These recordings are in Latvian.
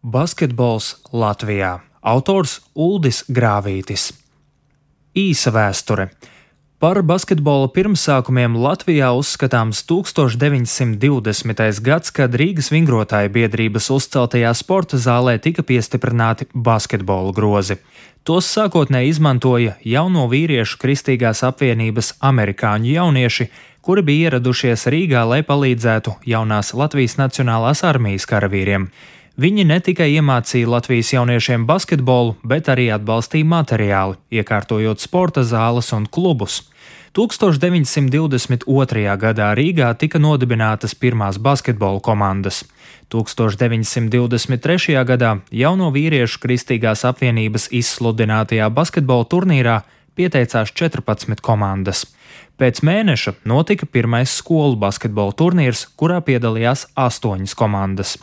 Basketbols Latvijā. Autors Uldis Grāvītis. Īsa vēsture. Par basketbola pirmsākumiem Latvijā uzskatāms 1920. gads, kad Rīgas vingrotāju biedrības uzceltajā sporta zālē tika piestiprināti basketbola grozi. Tos sākotnēji izmantoja jauno vīriešu kristīgās apvienības amerikāņu jaunieši, kuri bija ieradušies Rīgā, lai palīdzētu jaunās Latvijas Nacionālās armijas karavīriem. Viņi ne tikai iemācīja Latvijas jauniešiem basketbolu, bet arī atbalstīja materiāli, iekārtojot sporta zāles un klubus. 1922. gadā Rīgā tika nodibinātas pirmās basketbola komandas. 1923. gadā jauno vīriešu kristīgās apvienības izsludinātajā basketbola turnīrā pieteicās 14 komandas. Pēc mēneša notika pirmais skolu basketbola turnīrs, kurā piedalījās 8 komandas.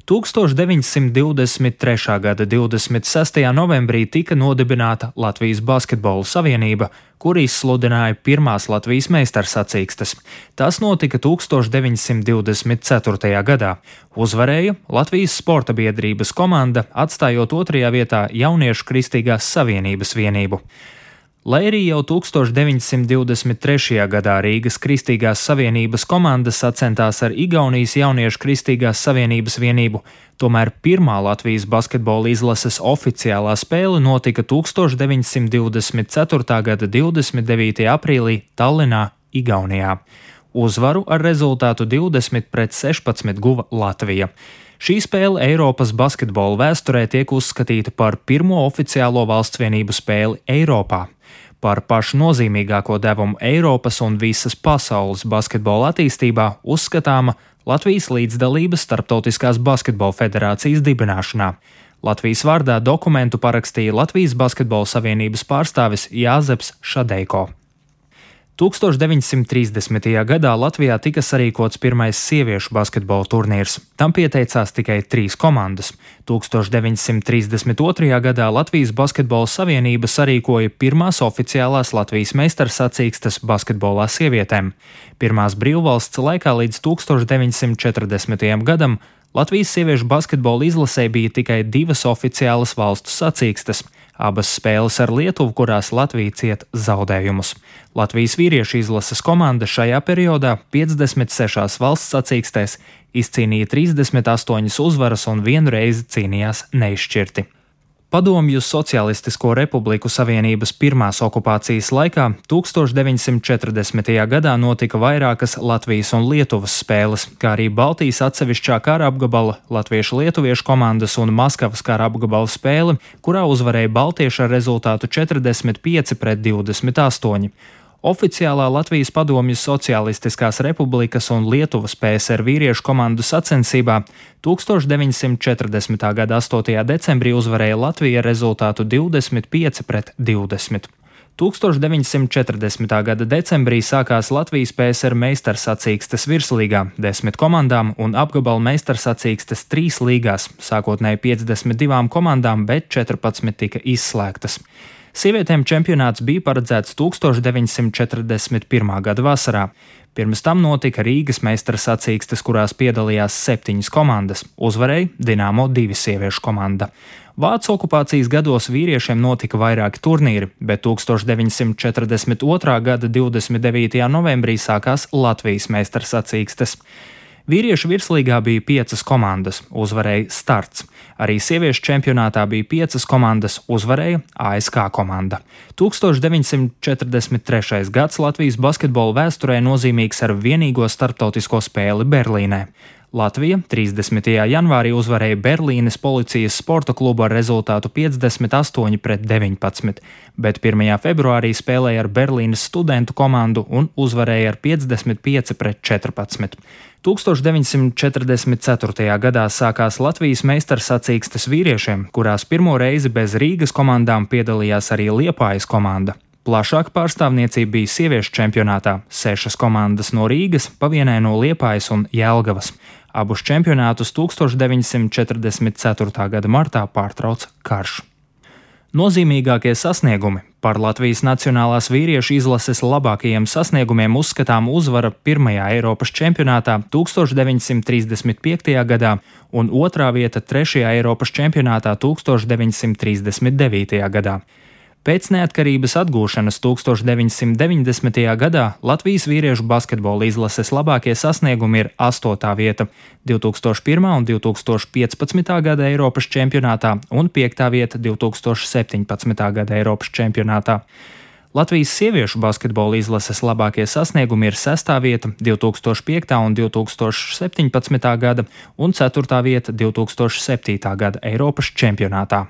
1923. gada 26. novembrī tika nodibināta Latvijas Basketbola Savienība, kur izsludināja pirmās Latvijas meistarsacīkstes. Tas notika 1924. gadā. Uzvarēja Latvijas Sporta biedrības komanda, atstājot otrajā vietā Jauniešu Kristīgās Savienības vienību. Lai arī jau 1923. gadā Rīgas Kristīgās Savienības komanda sacentās ar Igaunijas Jauniešu Kristīgās Savienības vienību, tomēr pirmā Latvijas basketbola izlases oficiālā spēle notika 1924. gada 29. aprīlī Tallinā, Igaunijā. Uzvaru ar rezultātu 20-16 guva Latvija. Šī spēle Eiropas basketbola vēsturē tiek uzskatīta par pirmo oficiālo valstsvienību spēli Eiropā. Par pašu nozīmīgāko devumu Eiropas un visas pasaules basketbola attīstībā uzskatāma Latvijas līdzdalības Starptautiskās basketbola federācijas dibināšanā. Latvijas vārdā dokumentu parakstīja Latvijas Basketbola Savienības pārstāvis Jāzeps Šadeiko. 1930. gadā Latvijā tika sarīkots pirmais sieviešu basketbola turnīrs. Tam pieteicās tikai 3 komandas. 1932. gadā Latvijas Basketbola Savienība sarīkoja pirmās oficiālās Latvijas meistarsacīkstes basketbolā sievietēm. Pirmās brīvvalsts laikā līdz 1940. gadam Latvijas sieviešu basketbola izlasē bija tikai 2 oficiālas valstu sacīkstes. Abas spēles ar Lietuvu, kurās Latvija cieta zaudējumus. Latvijas vīriešu izlases komanda šajā periodā 56 valsts sacīkstēs izcīnīja 38 uzvaras un 1 reizi cīnījās neizšķirti. Padomju Socialistisko Republiku Savienības pirmās okupācijas laikā 1940. gadā notika vairākas Latvijas un Lietuvas spēles, kā arī Baltijas atsevišķā kara apgabala, latviešu-lietuviešu komandas un Maskavas kara apgabala spēle, kurā uzvarēja baltieši ar rezultātu 45-28. Oficiālā Latvijas Padomju Socialistiskās Republikas un Lietuvas PSR vīriešu komandu sacensībā 1940. gada 8. decembrī uzvarēja Latvija ar rezultātu 25-20. 1940. gada decembrī sākās Latvijas PSR meistarsacīkstes virslīgā 10 komandām un apgabala meistarsacīkstes 3 līgās, sākotnēji 52 komandām, bet 14 tika izslēgtas. Sievietēm čempionāts bija paredzēts 1941. gada vasarā. Pirms tam notika Rīgas meistarsacīkstes, kurās piedalījās 7 komandas. Uzvarēja Dinamo 2 sieviešu komanda. Vācu okupācijas gados vīriešiem notika vairāki turnīri, bet 1942. gada 29. novembrī sākās Latvijas meistarsacīkstes. Vīriešu virslīgā bija 5 komandas, uzvarēja Starts. Arī sieviešu čempionātā bija 5 komandas, uzvarēja ASK komanda. 1943. gads Latvijas basketbola vēsturē nozīmīgs ar vienīgo starptautisko spēli Berlīnē. Latvija 30. janvārī uzvarēja Berlīnes policijas sporta klubu ar rezultātu 58-19, bet 1. februārī spēlēja ar Berlīnes studentu komandu un uzvarēja ar 55-14. 1944. gadā sākās Latvijas meistarsacīkstes vīriešiem, kurās pirmo reizi bez Rīgas komandām piedalījās arī Liepājas komanda. Plašāka pārstāvniecība bija sieviešu čempionātā - 6 komandas no Rīgas, pa vienai no Liepājas un Jelgavas. Abus čempionātus 1944. gada martā pārtrauca karš. Nozīmīgākie sasniegumi Par Latvijas nacionālās vīriešu izlases labākajiem sasniegumiem uzskatām uzvara pirmajā Eiropas čempionātā 1935. gadā un otrā vieta trešajā Eiropas čempionātā 1939. gadā. Pēc neatkarības atgūšanas 1990. gadā Latvijas vīriešu basketbola izlases labākie sasniegumi ir 8. vieta 2001. un 2015. gada Eiropas čempionātā un 5. vieta 2017. gada Eiropas čempionātā. Latvijas sieviešu basketbola izlases labākie sasniegumi ir 6. vieta 2005. un 2017. gada un 4. vieta 2007. gada Eiropas čempionātā.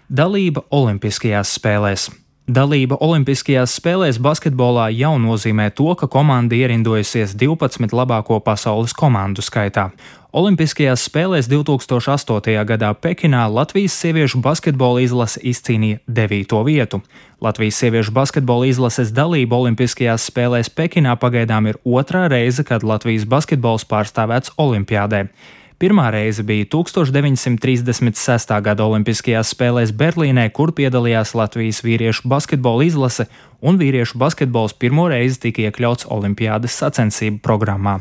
Dalība Olimpiskajās spēlēs. Dalība Olimpiskajās spēlēs basketbolā jau nozīmē to, ka komanda ierindojusies 12 labāko pasaules komandu skaitā. Olimpiskajās spēlēs 2008. gadā Pekinā Latvijas sieviešu basketbola izlase izcīnīja 9. vietu. Latvijas sieviešu basketbola izlases dalība Olimpiskajās spēlēs Pekinā pagaidām ir otrā reize, kad Latvijas basketbols pārstāvēts Olimpiādē. Pirmā reize bija 1936. gada Olimpiskajās spēlēs Berlīnē, kur piedalījās Latvijas vīriešu basketbola izlase, un vīriešu basketbols pirmo reizi tika iekļauts Olimpiādes sacensību programmā.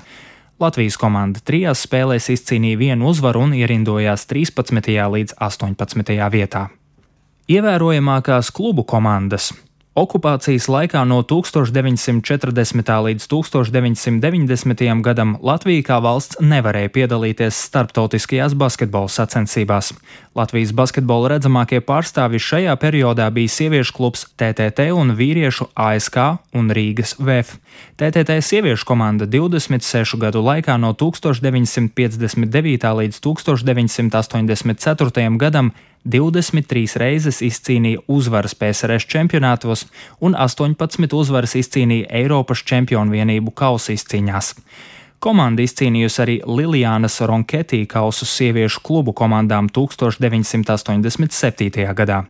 Latvijas komanda 3 spēlēs izcīnīja 1 uzvaru un ierindojās 13. līdz 18. vietā. Ievērojamākās klubu komandas. Okupācijas laikā no 1940. līdz 1990. gadam Latvija kā valsts nevarēja piedalīties starptautiskajās basketbola sacensībās. Latvijas basketbola redzamākie pārstāvji šajā periodā bija sieviešu klubs TTT un vīriešu ASK un Rīgas VF. TTT sieviešu komanda 26 gadu laikā no 1959. līdz 1984. gadam 23 reizes izcīnīja uzvaras PSRS čempionātos un 18 uzvaras izcīnīja Eiropas čempionu vienību kausa izcīņās. Komanda izcīnījusi arī Liljānas Ronketī kausu sieviešu klubu komandām 1987. gadā.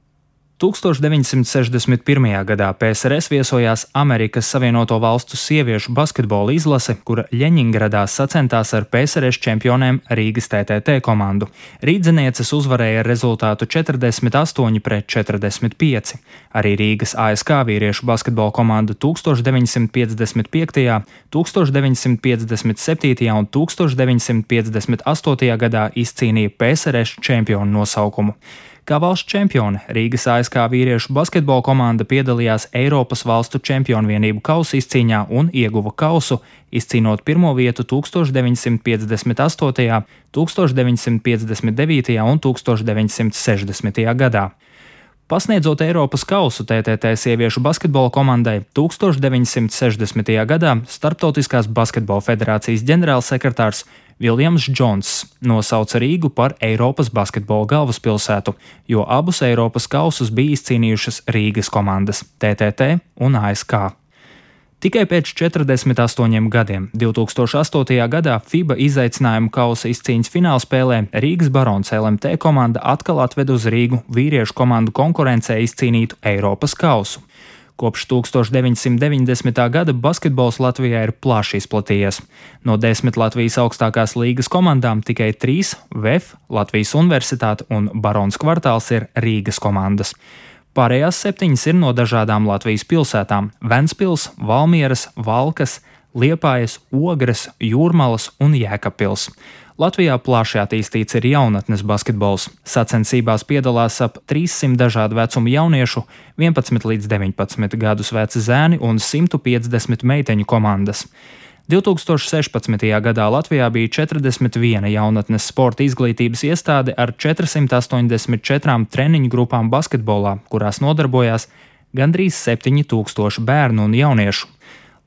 1961. gadā PSRS viesojās Amerikas Savienoto Valstu sieviešu basketbola izlase, kura Ļeņingradā sacentās ar PSRS čempionēm Rīgas TTT komandu. Rīdzenieces uzvarēja ar rezultātu 48-45. Arī Rīgas ASK vīriešu basketbola komanda 1955., 1957. un 1958. gadā izcīnīja PSRS čempionu nosaukumu. Kā valsts čempione Rīgas ASK vīriešu basketbola komanda piedalījās Eiropas valstu čempionu vienību kausa izcīņā un ieguva kausu, izcīnot pirmo vietu 1958., 1959. un 1960. gadā. Pasniedzot Eiropas kausu TTT sieviešu basketbola komandai, 1960. gadā Starptautiskās basketbola federācijas ģenerālsekretārs Viljams Džons nosauca Rīgu par Eiropas basketbola galvaspilsētu, jo abus Eiropas kausus bija izcīnījušas Rīgas komandas TTT un ASK. Tikai pēc 48 gadiem, 2008. gadā FIBA izaicinājumu kausa izcīņas finālspēlē Rīgas Barons LMT komanda atkal atved uz Rīgu vīriešu komandu konkurencē izcīnītu Eiropas kausu. Kopš 1990. gada basketbols Latvijā ir plaši izplatījies. No 10 Latvijas augstākās līgas komandām tikai 3 VF, Latvijas Universitāte un Barons kvartāls ir Rīgas komandas. Pārējās 7 ir no dažādām Latvijas pilsētām – Ventspils, Valmieras, Valkas, Liepājas, Ogres, Jūrmalas un Jēkabpils. Latvijā plaši attīstīts ir jaunatnes basketbols. Sacensībās piedalās ap 300 dažādu vecumu jauniešu, 11 līdz 19 gadus veci zēni un 150 meiteņu komandas. 2016. gadā Latvijā bija 41 jaunatnes sporta izglītības iestāde ar 484 treniņu grupām basketbolā, kurās nodarbojās gandrīz 7000 bērnu un jauniešu.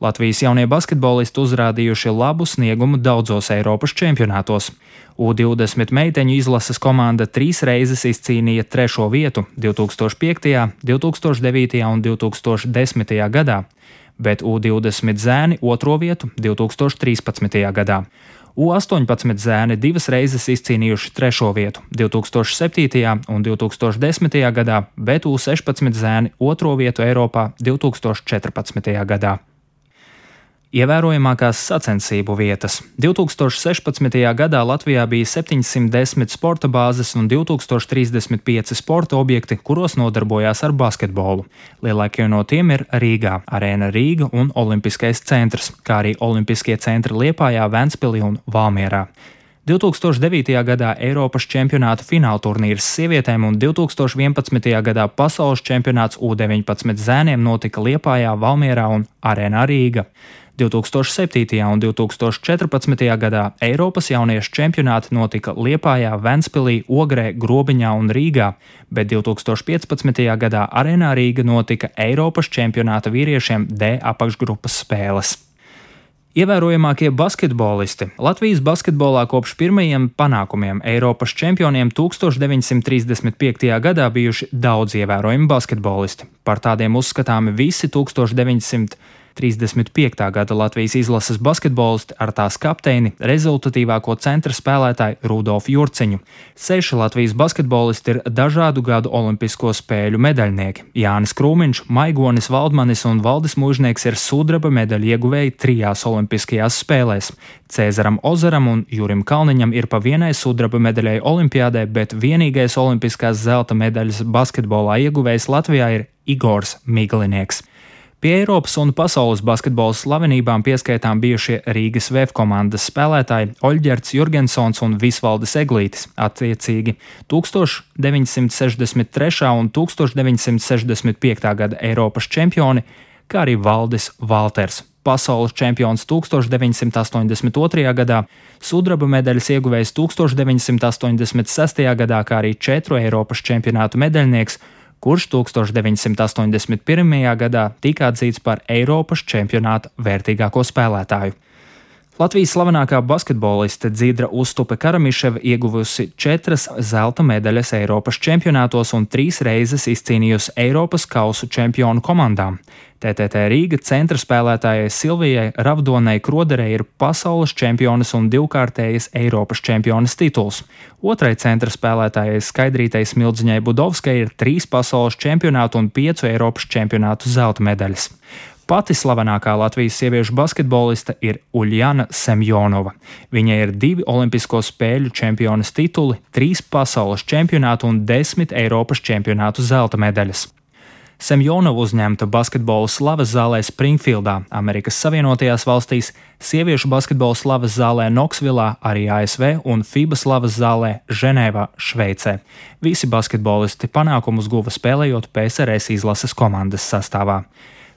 Latvijas jaunie basketbolisti uzrādījuši labu sniegumu daudzos Eiropas čempionātos. U20 meiteņu izlases komanda 3 reizes izcīnīja 3. vietu 2005., 2009. un 2010. gadā, bet U20 zēni 2. vietu 2013. gadā. U18 zēni 2 reizes izcīnījuši 3. vietu 2007. un 2010. gadā, bet U16 zēni 2. vietu Eiropā 2014. gadā. Ievērojamākās sacensību vietas. 2016. gadā Latvijā bija 710 sporta bāzes un 2035 sporta objekti, kuros nodarbojās ar basketbolu. Lielākie no tiem ir Rīgā, Arēna Rīga un Olimpiskais centrs, kā arī Olimpiskie centri Liepājā, Ventspilī un Valmierā. 2009. gadā Eiropas čempionāta fināla turnīrs sievietēm un 2011. gadā pasaules čempionāts U19 zēniem notika Liepājā, Valmierā un Arēnā Rīga. 2007. un 2014. gadā Eiropas jauniešu čempionāti notika Liepājā, Ventspilī, Ogrē, Grobiņā un Rīgā, bet 2015. gadā Arēnā Rīga notika Eiropas čempionāta vīriešiem D apakšgrupas spēles. Ievērojamākie basketbolisti. Latvijas basketbolā kopš pirmajiem panākumiem Eiropas čempioniem 1935. gadā bijuši daudz ievērojami basketbolisti. Par tādiem uzskatāmi visi 1935. gada Latvijas izlases basketbolisti ar tās kapteini, rezultatīvāko centra spēlētāju Rudolfu Jurciņu. 6 Latvijas basketbolisti ir dažādu gadu olimpisko spēļu medaļnieki. Jānis Krūmiņš, Maigonis Valdmanis un Valdis Mužnieks ir sudraba medaļu ieguvēji 3 olimpiskajās spēlēs. Cēzaram Ozaram un Jurim Kalniņam ir pa vienai sudraba medaļai olimpiādē, bet vienīgais olimpiskās zelta medaļas basketbolā ieguvējs Latvijā ir Igors Miglinieks. Pie Eiropas un pasaules basketbola slavenībām pieskaitām bijušie Rīgas VF komandas spēlētāji Oļģerts Jurgensons un Visvaldis Eglītis, attiecīgi 1963. un 1965. gada Eiropas čempioni, kā arī Valdis Valters, pasaules čempions 1982. gadā, sudraba medaļas ieguvējs 1986. gadā, kā arī 4 Eiropas čempionātu medaļnieks, kurš 1981. gadā tika atzīts par Eiropas čempionāta vērtīgāko spēlētāju. Latvijas slavenākā basketboliste Dzidra Uztupe Karamiševa ieguvusi 4 zelta medaļas Eiropas čempionātos un 3 reizes izcīnījusi Eiropas kausu čempionu komandām. TTT Rīga centra spēlētājai Silvijai Ravdonai Kroderei ir pasaules čempionas un 2-kārtējas Eiropas čempionas tituls. Otrai centra spēlētājai Skaidrītei Smildziņai Budovskai ir 3 pasaules čempionātu un 5 Eiropas čempionātu zelta medaļas. Pati slavenākā Latvijas sieviešu basketboliste ir Uljana Semjonova. Viņai ir 2 olimpisko spēļu čempionas tituli, 3 pasaules čempionātu un 10 Eiropas čempionātu zelta medaļas. Semjonova uzņemta basketbola slavas zālē Springfieldā, Amerikas Savienotajās valstīs, sieviešu basketbola slavas zālē Knoksvilā, arī ASV un FIBA slavas zālē Ženēvā, Šveicē. Visi basketbolisti panākumus guva spēlējot PSRS izlases komandas sastāvā.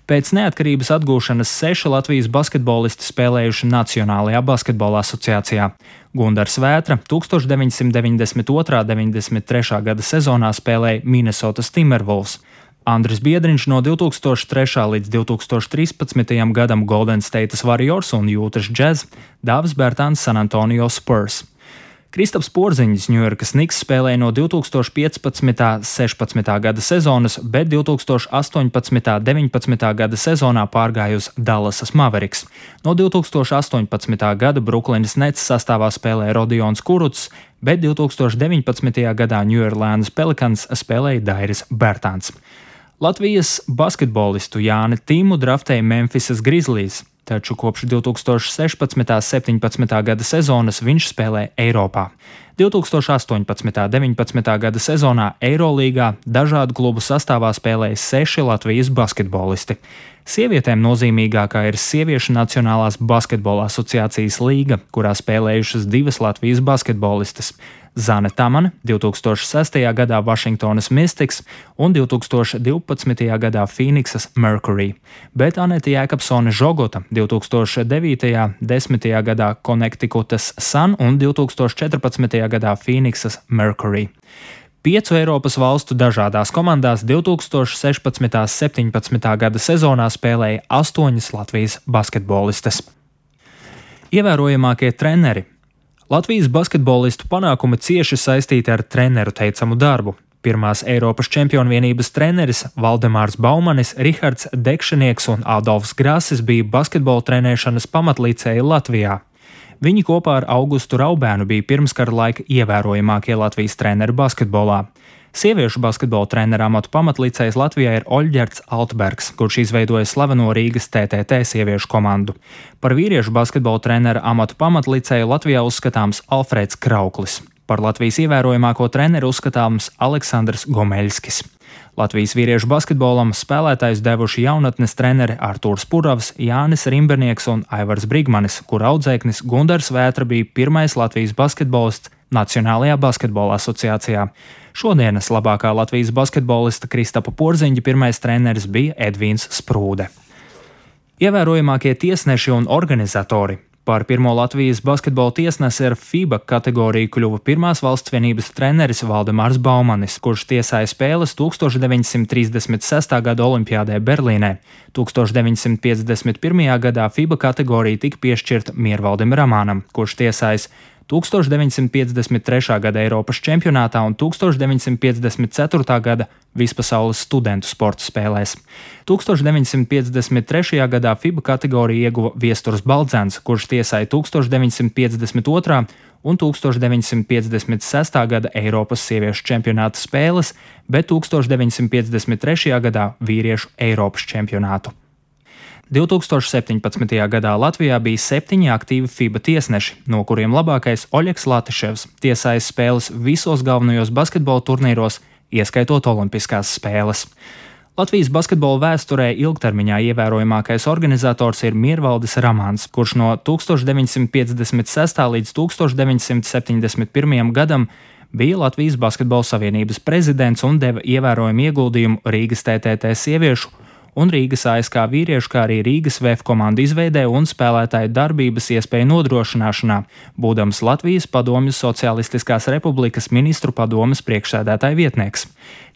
Pēc neatkarības atgūšanas 6 Latvijas basketbolisti spēlējuši Nacionālajā basketbola asociācijā. Gundars Vētra 1992.–93. gada sezonā spēlēja Minnesotas Timberwolves, Andris Biedriņš no 2003. līdz 2013. gadam Golden State Warriors un Jūtas Jazz, Dāvis Bērtāns San Antonio Spurs. Kristaps Porziņš Ņujorkas Knicks spēlēja no 2015.–16. gada sezonas, bet 2018.–19. gada sezonā pārgāja uz Dallasas Mavericks. No 2018. gada Brooklynas Nets sastāvā spēlēja Rodions Kurucs, bet 2019. gadā New Orleans Pelicans spēlēja Dairis Bērtāns. Latvijas basketbolistu Jāni Timu draftēja Memphisas Grizzlies, taču kopš 2016.–17. gada sezonas viņš spēlē Eiropā. 2018.–19. gada sezonā Eirolīgā dažādu klubu sastāvā spēlēja 6 Latvijas basketbolisti. Sievietēm nozīmīgākā ir Sieviešu Nacionālās basketbola asociācijas līga, kurā spēlējušas 2 Latvijas basketbolistes – Zane Tamane 2006. gadā Washingtonas Mystics un 2012. gadā Phoenixas Mercury, bet Anete Jēkabsone Žogota 2009. 10. gadā Connecticutas Sun un 2014. gadā Phoenixas Mercury. 5 Eiropas valstu dažādās komandās 2016.–17. gada sezonā spēlēja 8 Latvijas basketbolistes. Ievērojamākie treneri. Latvijas basketbolistu panākumi cieši saistīti ar treneru teicamu darbu. Pirmās Eiropas čempionvienības treneris Valdemārs Baumanis, Rihards Dekšanieks un Adolfs Grasis bija basketbola trenēšanas pamatlicēji Latvijā. Viņi kopā ar Augustu Raubēnu bija pirmskara laika ievērojamākie Latvijas treneri basketbolā. Sieviešu basketbola treneru amatu pamatlicējs Latvijā ir Oļģerts Altbergs, kurš izveidoja slaveno Rīgas TTT sieviešu komandu. Par vīriešu basketbola treneru amatu pamatlicēju Latvijā uzskatāms Alfrēds Krauklis. Par Latvijas ievērojamāko treneru uzskatāms Aleksandrs Gomeļskis. Latvijas vīriešu basketbolam spēlētājus devuši jaunatnes treneri Artūrs Puravs, Jānis Rimbernieks un Aivars Brigmanis, kur audzēknis Gundars Vētra bija pirmais Latvijas basketbolists Nacionālajā basketbola asociācijā. Šodienas labākā Latvijas basketbolista Kristapa Porziņģa pirmais treneris bija Edvīns Sprūde. Ievērojamākie tiesneši un organizatori. Par pirmo Latvijas basketbola tiesnesi ar FIBA kategoriju kļuva pirmās valsts vienības treneris Valdemārs Baumanis, kurš tiesāja spēles 1936. gada Olimpiādē Berlīnē. 1951. gadā FIBA kategorija tika piešķirta Miervaldim Ramānam, kurš tiesājis 1953. gada Eiropas čempionātā un 1954. gada Vispasaules studentu sporta spēlēs. 1953. gadā FIBA kategoriju ieguva Viesturs Baldzens, kurš tiesāja 1952. un 1956. gada Eiropas sieviešu čempionāta spēles, bet 1953. gadā vīriešu Eiropas čempionātu. 2017. gadā Latvijā bija 7 aktīvi FIBA tiesneši, no kuriem labākais Oļegs Latiševs tiesājis spēles visos galvenajos basketbola turnīros, ieskaitot olimpiskās spēles. Latvijas basketbola vēsturē ilgtermiņā ievērojamākais organizators ir Miervaldis Ramāns, kurš no 1956. līdz 1971. gadam bija Latvijas Basketbola Savienības prezidents un deva ievērojumu ieguldījumu Rīgas TTT sieviešu un Rīgas ASK vīriešu, kā arī Rīgas VF komandu izveidē un spēlētāju darbības iespēju nodrošināšanā, būdams Latvijas Padomju Socialistiskās Republikas ministru padomes priekšsēdētāja vietnieks.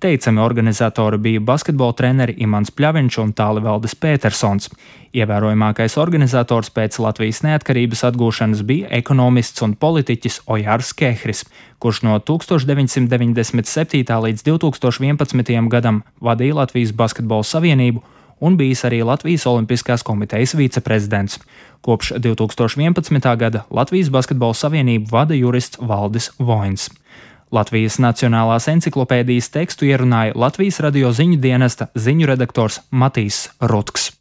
Teicami organizatori bija basketbola treneri Imants Pļaviņš un Tālivaldis Pētersons. Ievērojamākais organizators pēc Latvijas neatkarības atgūšanas bija ekonomists un politiķis Ojārs Kehris, kurš no 1997. līdz 2011. gadam vadīja Latvijas Basketbola Savienību un bijis arī Latvijas Olimpiskās komitejas viceprezidents. Kopš 2011. gada Latvijas Basketbola Savienību vada jurists Valdis Voins. Latvijas Nacionālās enciklopēdijas tekstu ierunāja Latvijas radio ziņu dienesta ziņu redaktors Matīs Rutks.